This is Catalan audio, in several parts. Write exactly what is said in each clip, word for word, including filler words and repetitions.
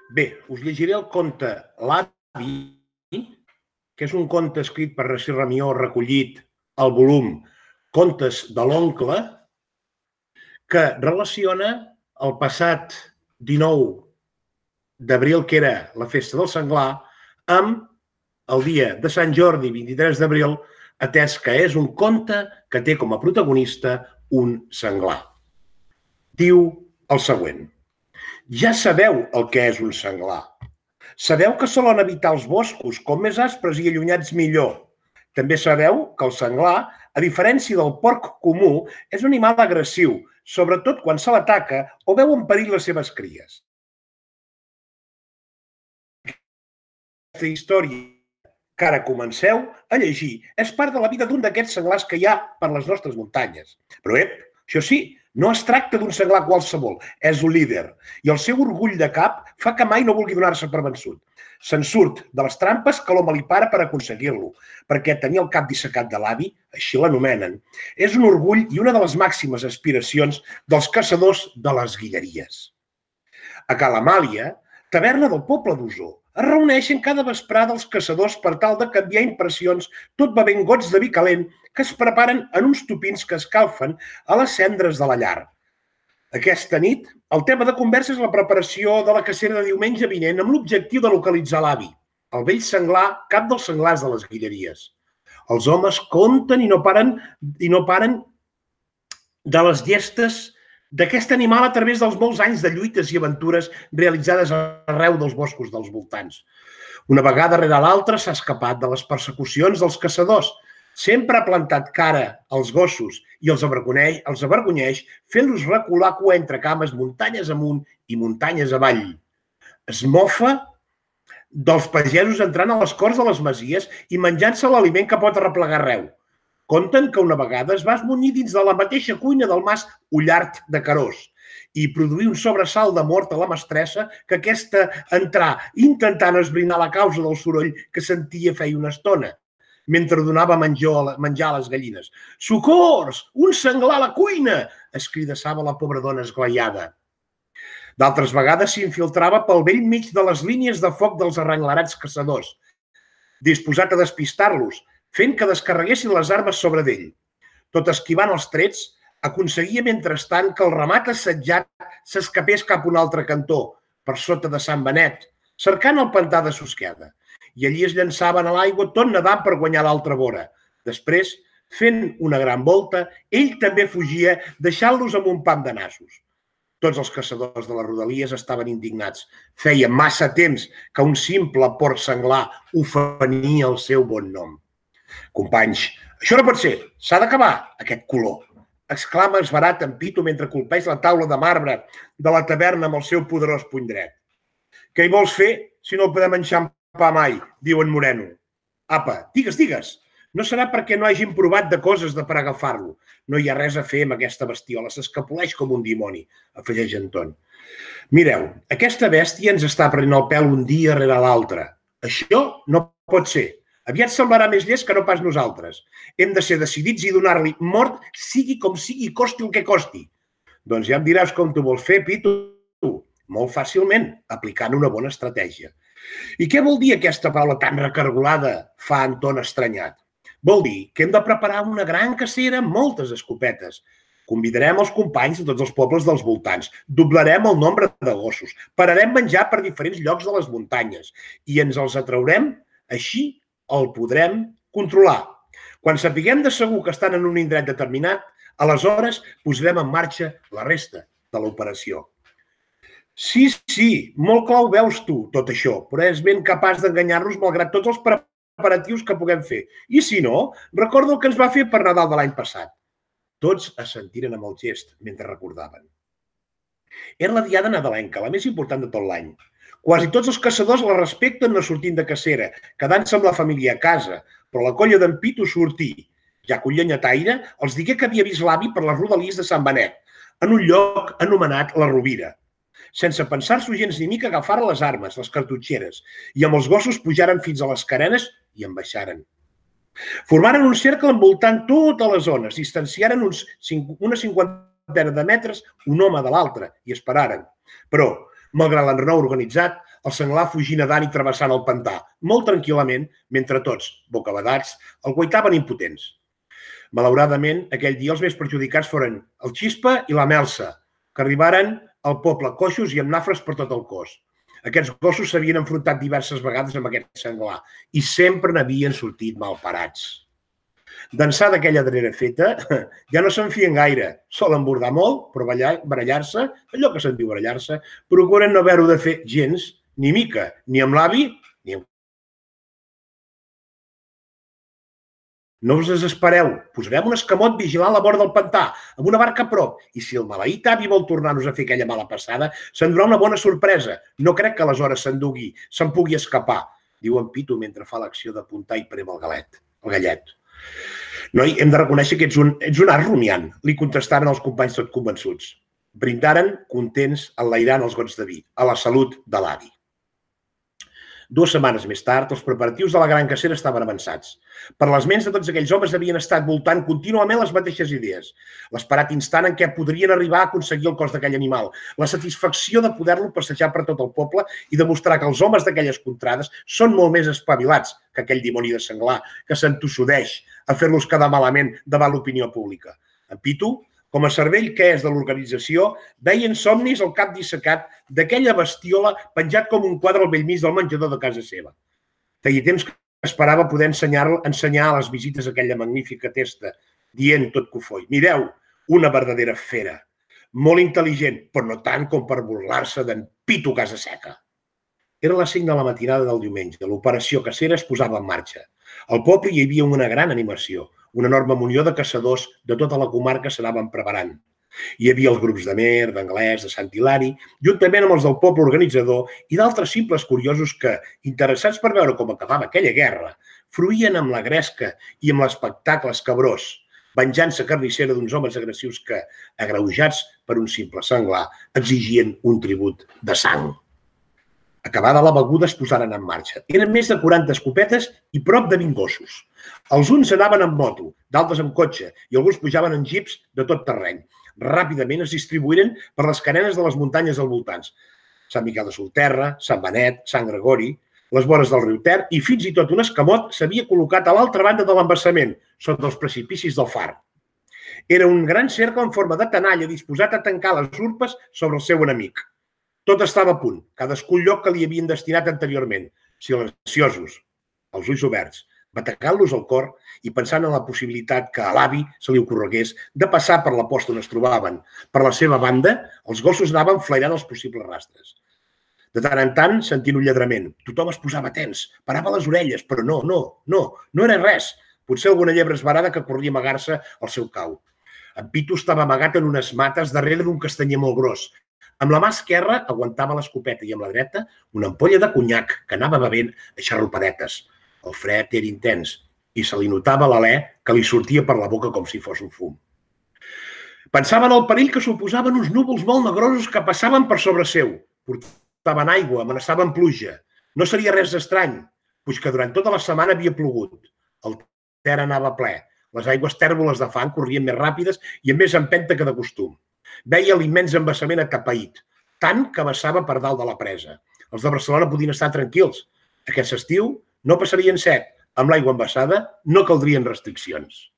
Bé, us llegiré el conte L'avi, que és un conte escrit per Narcís Ramió, recollit al volum Contes de l'oncle, que relaciona el passat dinou d'abril, que era la festa del senglar, amb el dia de Sant Jordi, vint-i-tres d'abril, atès que és un conte que té com a protagonista un senglar. Diu el següent. Ja sabeu el que és un senglar. Sabeu que solen habitar els boscos, com més aspres i allunyats millor. També sabeu que el senglar, a diferència del porc comú, és un animal agressiu, sobretot quan se l'ataca o veu en perill les seves cries. Aquesta història que ara comenceu a llegir és part de la vida d'un d'aquests senglars que hi ha per les nostres muntanyes. Però, ep, això sí, no es tracta d'un senglar qualsevol, és un líder, i el seu orgull de cap fa que mai no vulgui donar-se per vençut. Se'n surt de les trampes que l'home li para per aconseguir-lo, perquè tenir el cap dissecat de l'avi, així l'anomenen, és un orgull i una de les màximes aspiracions dels caçadors de les Guilleries. A Cala Amàlia, taverna del poble d'Osor, es reuneixen cada vesprada els caçadors per tal de canviar impressions tot bevent gots de vi calent que es preparen en uns tupins que escalfen a les cendres de la llar. Aquesta nit, el tema de conversa és la preparació de la cacera de diumenge vinent amb l'objectiu de localitzar l'avi, el vell senglar, cap dels senglars de les Guilleries. Els homes compten i no paren, i no paren de les llestes d'aquest animal a través dels molts anys de lluites i aventures realitzades arreu dels boscos dels voltants. Una vegada rere l'altra s'ha escapat de les persecucions dels caçadors. Sempre ha plantat cara als gossos i els avergonyeix, els avergonyeix fent-los recular cua entre cames muntanyes amunt i muntanyes avall. Es mofa dels pagesos entrant a les corts de les masies i menjant-se l'aliment que pot arreplegar arreu. Conten que una vegada es va esmunyir dins de la mateixa cuina del mas Ullart de Carós i produir un sobresalt de mort a la mestressa que aquesta entrà intentant esbrinar la causa del soroll que sentia feia una estona, mentre donava menjar a les gallines. «Socors! Un senglar a la cuina!» escridassava la pobra dona esglaiada. D'altres vegades s'infiltrava pel vell mig de les línies de foc dels arrenglerats caçadors, disposat a despistar-los, fent que descarreguessin les armes sobre d'ell. Tot esquivant els trets, aconseguia mentrestant que el ramat assetjat s'escapés cap a un altre cantó, per sota de Sant Benet, cercant el pantà de Susqueda, i allí es llançaven a l'aigua tot nedant per guanyar l'altra vora. Després, fent una gran volta, ell també fugia, deixant-los amb un pam de nassos. Tots els caçadors de les rodalies estaven indignats. Feia massa temps que un simple porc senglar ofenia el seu bon nom. «Companys, això no pot ser, s'ha d'acabar, aquest color», exclama esverat en Pito mentre colpeix la taula de marbre de la taverna amb el seu poderós puny dret. «Què hi vols fer si no el podem enxampar mai?», diu en Moreno. «Apa, digues, digues, no serà perquè no hagin provat de coses de per agafar-lo. No hi ha res a fer amb aquesta bestiola, s'escapoleix com un dimoni», afegeix Anton. «Mireu, aquesta bèstia ens està prenent el pèl un dia rere l'altre. Això no pot ser. Aviat semblarà més llest que no pas nosaltres. Hem de ser decidits i donar-li mort, sigui com sigui, costi el que costi». «Doncs ja em diràs com t'ho vols fer, Pito». «Molt fàcilment, aplicant una bona estratègia». «I què vol dir aquesta paraula tan recargolada?», fa Anton estranyat. «Vol dir que hem de preparar una gran cacera amb moltes escopetes. Convidarem els companys de tots els pobles dels voltants, doblarem el nombre de gossos, pararem menjar per diferents llocs de les muntanyes i ens els atraurem, així el podrem controlar. Quan sapiguem de segur que estan en un indret determinat, aleshores posarem en marxa la resta de l'operació». «Sí, sí, molt clar ho veus tu, tot això, però és ben capaç d'enganyar-nos malgrat tots els preparatius que puguem fer. I si no, recorda el que ens va fer per Nadal de l'any passat». Tots assentiren amb el gest mentre recordaven. Era la diada nadalenca, la més important de tot l'any. Quasi tots els caçadors la respecten no sortint de cacera, quedant-se amb la família a casa, però la colla d'en Pito sortí. Ja que un llenyataire els digué que havia vist l'avi per les rodalies de Sant Benet, en un lloc anomenat la Rovira. Sense pensar-s'ho gens ni mica agafaren les armes, les cartutxeres, i amb els gossos pujaren fins a les carenes i en baixaren. Formaren un cercle envoltant totes les zones, distanciaren uns una cinquantena de metres un home de l'altre i esperaren. Però, malgrat l'enrenou organitzat, el senglar fugint nedant i travessant el pantà, molt tranquil·lament, mentre tots, bocabadats, el guaitaven impotents. Malauradament, aquell dia els més perjudicats foren el Xispa i la Melsa, que arribaren al poble coixos i amb nafres per tot el cos. Aquests gossos s'havien enfrontat diverses vegades amb aquest senglar i sempre n'havien sortit malparats. D'ençà d'aquella darrera feta, ja no se'n fien gaire. Solen bordar molt, però barallar-se, allò que se'n diu barallar-se, procuren no haver-ho de fer gens, ni mica, ni amb l'avi, ni amb... No us desespereu, posarem un escamot vigilant la vora del pantà, amb una barca a prop, i si el maleït avi vol tornar-nos a fer aquella mala passada, s'endurà una bona sorpresa. No crec que aleshores s'endugui, se'n pugui escapar, diu en Pitu mentre fa l'acció d'apuntar i prem el galet, el gallet. Noi, hem de reconèixer que ets un, ets un art rumiant, li contestaren els companys tot convençuts. Brindaren, contents, enlairant els gots de vi, a la salut de l'avi. Dues setmanes més tard, els preparatius de la gran cacera estaven avançats. Per les ments de tots aquells homes havien estat voltant contínuament les mateixes idees. L'esperat instant en què podrien arribar a aconseguir el cos d'aquell animal, la satisfacció de poder-lo passejar per tot el poble i demostrar que els homes d'aquelles contrades són molt més espavilats que aquell dimoni de senglar que s'entossudeix a fer-los quedar malament davant l'opinió pública. En Pitu, com a cervell que és de l'organització, veia en somnis el cap dissecat d'aquella bestiola penjat com un quadre al bell mig del menjador de casa seva. Feia temps que esperava poder ensenyar, ensenyar a les visites aquella magnífica testa, dient tot cofoi: mireu, una verdadera fera, molt intel·ligent, però no tant com per burlar-se d'en Pitu Casaseca. Era les cinc de la matinada del diumenge. L'operació cacera es posava en marxa. Al poble hi havia una gran animació. Una enorme munió de caçadors de tota la comarca s'anaven preparant. Hi havia els grups de Mer, d'Anglès, de Sant Hilari, juntament amb els del poble organitzador i d'altres simples curiosos que, interessats per veure com acabava aquella guerra, fruïen amb la gresca i amb l'espectacle escabrós, venjança carnissera d'uns homes agressius que, agreujats per un simple senglar, exigien un tribut de sang. Acabada la beguda es posaren en marxa. Eren més de quaranta escopetes i prop de vint gossos. Els uns anaven en moto, d'altres en cotxe i alguns pujaven en jeeps de tot terreny. Ràpidament es distribuïren per les carenes de les muntanyes al voltants. Sant Miquel de Solterra, Sant Benet, Sant Gregori, les vores del riu Ter i fins i tot un escamot s'havia col·locat a l'altra banda de l'embassament, sota els precipicis del far. Era un gran cercle en forma de tenalla disposat a tancar les urpes sobre el seu enemic. Tot estava a punt, cadascú el lloc que li havien destinat anteriorment, silenciosos, els ulls oberts, batecant-los al cor i pensant en la possibilitat que a l'avi se li ocorregués de passar per la posta on es trobaven. Per la seva banda, els gossos anaven flairant els possibles rastres. De tant en tant, sentint un lladrament. Tothom es posava tens, parava les orelles, però no, no, no, no era res. Potser alguna llebre esbarada que corria a amagar-se al seu cau. En Pitu estava amagat en unes mates darrere d'un castanyer molt gros. Amb la mà esquerra aguantava l'escopeta i amb la dreta una ampolla de conyac que anava bevent a xarrupadetes. El fred era intens i se li notava l'alè que li sortia per la boca com si fos un fum. Pensava en el perill que suposaven uns núvols molt negrosos que passaven per sobre seu. Portaven aigua, amenaçaven pluja. No seria res estrany, puix que durant tota la setmana havia plogut. El Ter anava ple. Les aigües tèrboles de fang corrien més ràpides i amb més empenta que de costum. Veia l'immens embassament atapeït, tant que vessava per dalt de la presa. Els de Barcelona podien estar tranquils. Aquest estiu no passarien set. Amb l'aigua embassada no caldrien restriccions.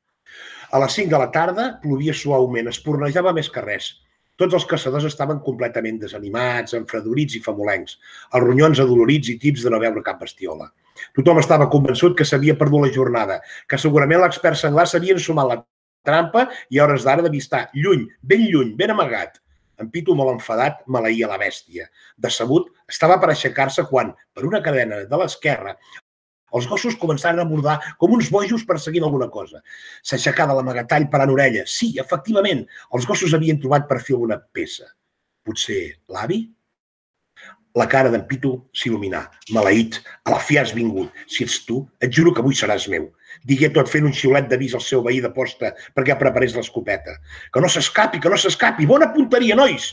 A les cinc de la tarda plovia suaument, espurnejava més que res. Tots els caçadors estaven completament desanimats, enfredorits i famolencs, els ronyons adolorits i tips de no veure cap bestiola. Tothom estava convençut que s'havia perdut la jornada, que segurament l'expert senglar s'havia ensumat la trampa i a hores d'ara devia estar lluny, ben lluny, ben amagat. En Pitu, molt enfadat, maleïa la bèstia. Decebut, estava per aixecar-se quan, per una cadena de l'esquerra, els gossos començaren a bordar com uns bojos perseguint alguna cosa. S'aixecà de l'amagatall parant orella. Sí, efectivament, els gossos havien trobat per fi alguna peça. Potser l'avi? La cara d'en Pitu s'il·luminà. Maleït, a la fi has vingut. Si ets tu, et juro que avui seràs meu. Digué tot fent un xiulet d'avís al seu veí de posta perquè preparés l'escopeta. Que no s'escapi, que no s'escapi! Bona punteria, nois!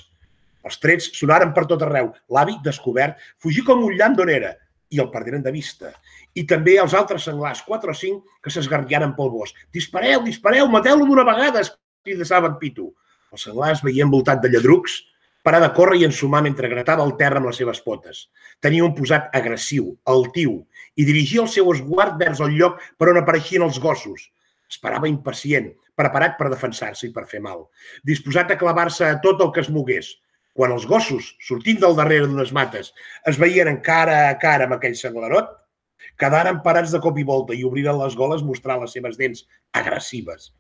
Els trets sonaren per tot arreu. L'avi, descobert, fugí com un llamp d'on era i el perderen de vista. I també els altres senglars, quatre o cinc, que s'esgarriaren pel bosc. Dispareu, dispareu, mateu-lo d'una vegada, cridassava en Pitu. El senglar es veia envoltat de lladrucs, parar de córrer i ensumar mentre gratava el terra amb les seves potes. Tenia un posat agressiu, altiu, i dirigia el seu esguard vers el lloc per on apareixien els gossos. Esperava impacient, preparat per defensar-se i per fer mal, disposat a clavar-se a tot el que es mogués. Quan els gossos, sortint del darrere d'unes mates, es veien cara a cara amb aquell senglarot, quedaren parats de cop i volta i obriren les goles mostrant les seves dents agressives.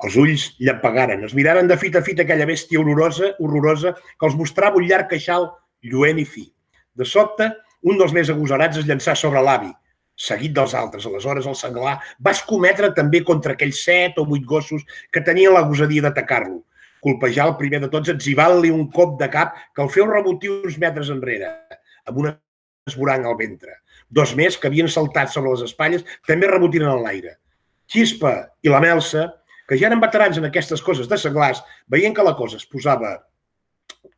Els ulls llampegaren, es miraren de fit a fit aquella bèstia horrorosa, horrorosa que els mostrava un llarg queixal lluent i fi. De sobte, un dels més agosarats es llançà sobre l'avi, seguit dels altres. Aleshores, el senglar va escometre també contra aquells set o vuit gossos que tenien la gosadia d'atacar-lo. Colpejar el primer de tots, etzibant-li un cop de cap que el feu rebotir uns metres enrere, amb una esborang al ventre. Dos més, que havien saltat sobre les espatlles, també rebotiren en l'aire. Xispa i la Melsa, que ja eren veterans en aquestes coses de senglars, veient que la cosa es posava,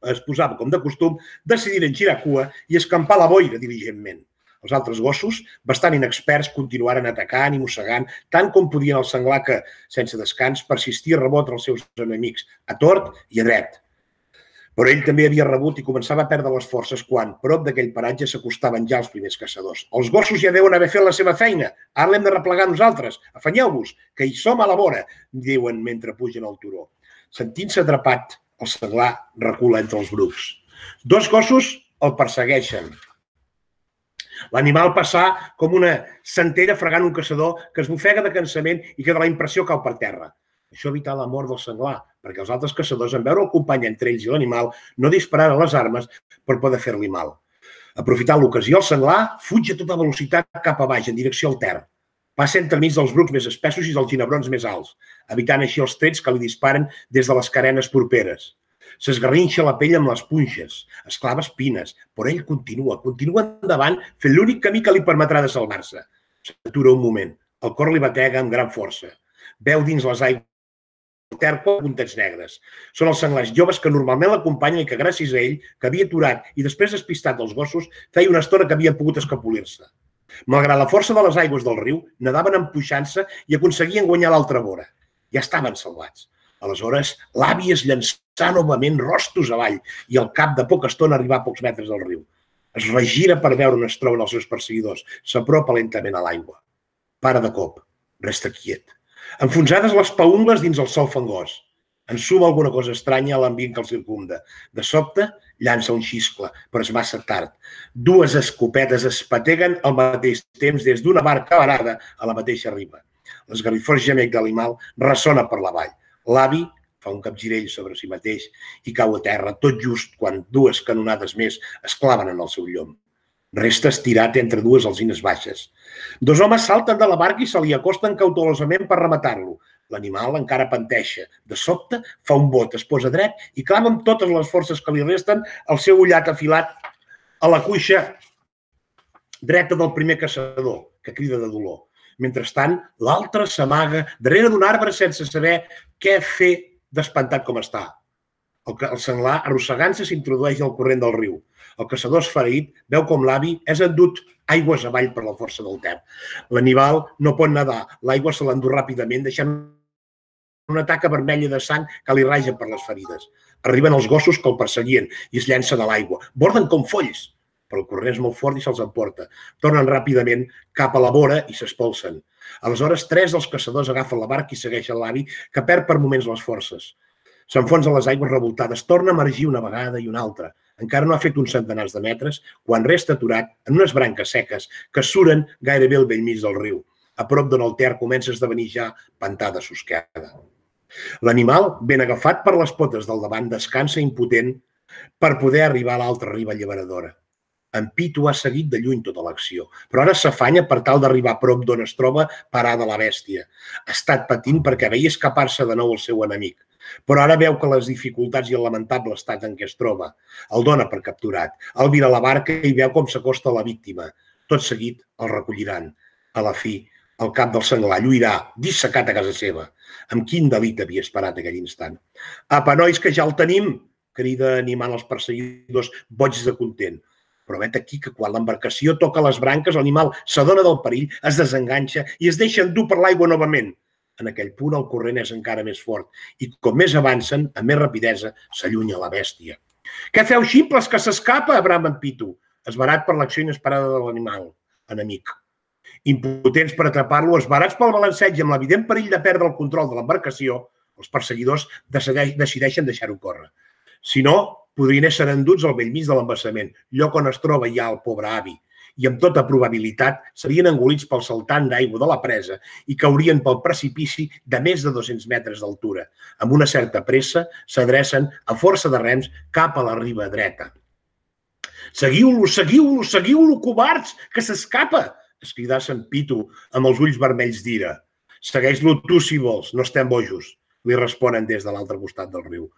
es posava com de costum, decidiren girar cua i escampar la boira diligentment. Els altres gossos, bastant inexperts, continuaren atacant i mossegant tant com podien el senglar que, sense descans, persistia a rebotre els seus enemics, a tort i a dret. Però ell també havia rebut i començava a perdre les forces quan, prop d'aquell paratge, s'acostaven ja els primers caçadors. Els gossos ja deuen haver fet la seva feina. Ara l'hem de replegar nosaltres. Afanyeu-vos, que hi som a la vora, diuen mentre pugen al turó. Sentint-se atrapat, el senglar recula entre els brucs. Dos gossos el persegueixen. L'animal passà com una centella fregant un caçador que es bofega de cansament i que de la impressió cau per terra. Això evità la mort del senglar, perquè els altres caçadors, en veure el company entre ells i l'animal, no dispararen les armes per poder fer-li mal. Aprofitant l'ocasió, el senglar fuig a tota velocitat cap a baix, en direcció al Ter. Passa entremig dels brucs més espessos i dels ginebrons més alts, evitant així els trets que li disparen des de les carenes properes. S'esgarrinxa la pell amb les punxes, es clava espines, però ell continua, continua endavant, fent l'únic camí que li permetrà de salvar-se. S'atura un moment, el cor li batega amb gran força. Veu dins les aigües el Ter quatre puntets negres. Són els senglars joves que normalment l'acompanyen i que gràcies a ell, que havia aturat i després despistat dels gossos, feia una estona que havia pogut escapolir-se. Malgrat la força de les aigües del riu, nadaven empuixant-se i aconseguien guanyar l'altra vora. Ja estaven salvats. Aleshores, l'avi es llançà novament rostos avall i al cap de poca estona arribà a pocs metres del riu. Es regira per veure on es troben els seus perseguidors. S'apropa lentament a l'aigua. Para de cop. Resta quiet. Enfonsades les paungles dins el sol fangós. Ensuma alguna cosa estranya a l'ambient que el circumda. De sobte, llança un xiscle, però és massa tard. Dues escopetes es pateguen al mateix temps des d'una barca varada a la mateixa riba. L'esgarrifós gemec de l'animal ressona per la vall. L'avi fa un capgirell sobre si mateix i cau a terra, tot just quan dues canonades més es claven en el seu llom. Resta estirat entre dues alzines baixes. Dos homes salten de la barca i se li acosten cautelosament per rematar-lo. L'animal encara panteixa. De sobte fa un bot, es posa dret i clava amb totes les forces que li resten el seu ullat afilat a la cuixa dreta del primer caçador, que crida de dolor. Mentrestant, l'altre s'amaga darrere d'un arbre sense saber què fer d'espantat com està. El senglar, arrossegant-se, s'introdueix al corrent del riu. El caçador esfereït veu com l'avi és endut aigües avall per la força del Ter. L'animal no pot nedar, l'aigua se l'endú ràpidament, deixant una taca vermella de sang que li raja per les ferides. Arriben els gossos que el perseguien i es llencen a l'aigua. Borden com folls, però el corrent és molt fort i se'ls emporta. Tornen ràpidament cap a la vora i s'espolsen. Aleshores, tres dels caçadors agafen la barca i segueixen l'avi, que perd per moments les forces. S'enfonsa a les aigües revoltades, torna a emergir una vegada i una altra. Encara no ha fet uns centenars de metres quan resta aturat en unes branques seques que suren gairebé al bell mig del riu, a prop d'on el Ter comença a esdevenir ja pantà de susqueda. L'animal, ben agafat per les potes del davant, descansa impotent per poder arribar a l'altra riba alliberadora. En Pitu ha seguit de lluny tota l'acció, però ara s'afanya per tal d'arribar a prop d'on es troba parada la bèstia. Ha estat patint perquè veia escapar-se de nou el seu enemic, però ara veu que les dificultats i el lamentable estat en què es troba el dona per capturat. El vira a la barca i veu com s'acosta a la víctima. Tot seguit el recolliran. A la fi, el cap del senglar lluirà, dissecat a casa seva. Amb quin delit havia esperat aquell instant. Apa, nois, que ja el tenim! Crida animant els perseguidors boigs de content. Però vet aquí que quan l'embarcació toca les branques, l'animal s'adona del perill, es desenganxa i es deixa endur per l'aigua novament. En aquell punt el corrent és encara més fort i com més avancen, amb més rapidesa, s'allunya la bèstia. Què feu, ximples, que s'escapa? Brama en Pitu, esbarat per l'acció inesperada de l'animal enemic. Impotents per atrapar-lo, esbarats pel balanceig i amb l'evident perill de perdre el control de l'embarcació, els perseguidors decideixen deixar-ho córrer. Si no, podrien ésser enduts al bell mig de l'embassament, lloc on es troba ja el pobre avi, i amb tota probabilitat serien engolits pel saltant d'aigua de la presa i caurien pel precipici de més de dos-cents metres d'altura. Amb una certa pressa s'adrecen a força de rems cap a la riba dreta. Seguiu-lo, seguiu-lo, seguiu-lo, covards, que s'escapa! Es cridà Sant Pitu amb els ulls vermells d'ira. Segueix-lo tu si vols, no estem bojos, li responen des de l'altre costat del riu.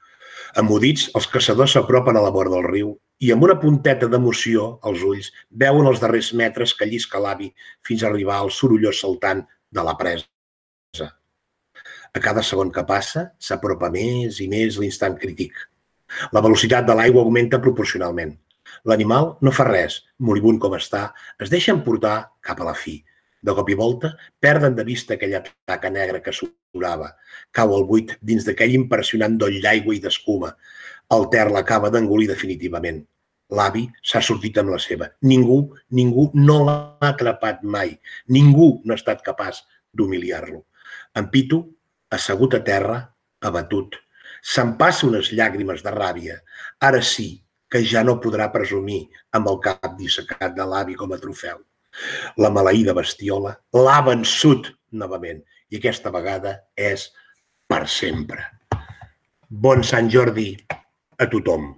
Emmudits, els caçadors s'apropen a la vora del riu i amb una punteta d'emoció als ulls veuen els darrers metres que llisca l'avi fins a arribar al sorollós saltant de la presa. A cada segon que passa, s'apropa més i més l'instant crític. La velocitat de l'aigua augmenta proporcionalment. L'animal no fa res, moribund com està, es deixa emportar cap a la fi. De cop i volta, perden de vista aquella taca negra que s'orava. Cau al buit dins d'aquell impressionant doll d'aigua i d'escuma. El Ter l'acaba d'engolir definitivament. L'avi s'ha sortit amb la seva. Ningú, ningú no l'ha atrapat mai. Ningú no ha estat capaç d'humiliar-lo. En Pitu, assegut a terra, abatut, s'empassa unes llàgrimes de ràbia. Ara sí que ja no podrà presumir amb el cap dissecat de l'avi com a trofeu. La maleïda bestiola l'ha vençut novament i aquesta vegada és per sempre. Bon Sant Jordi a tothom.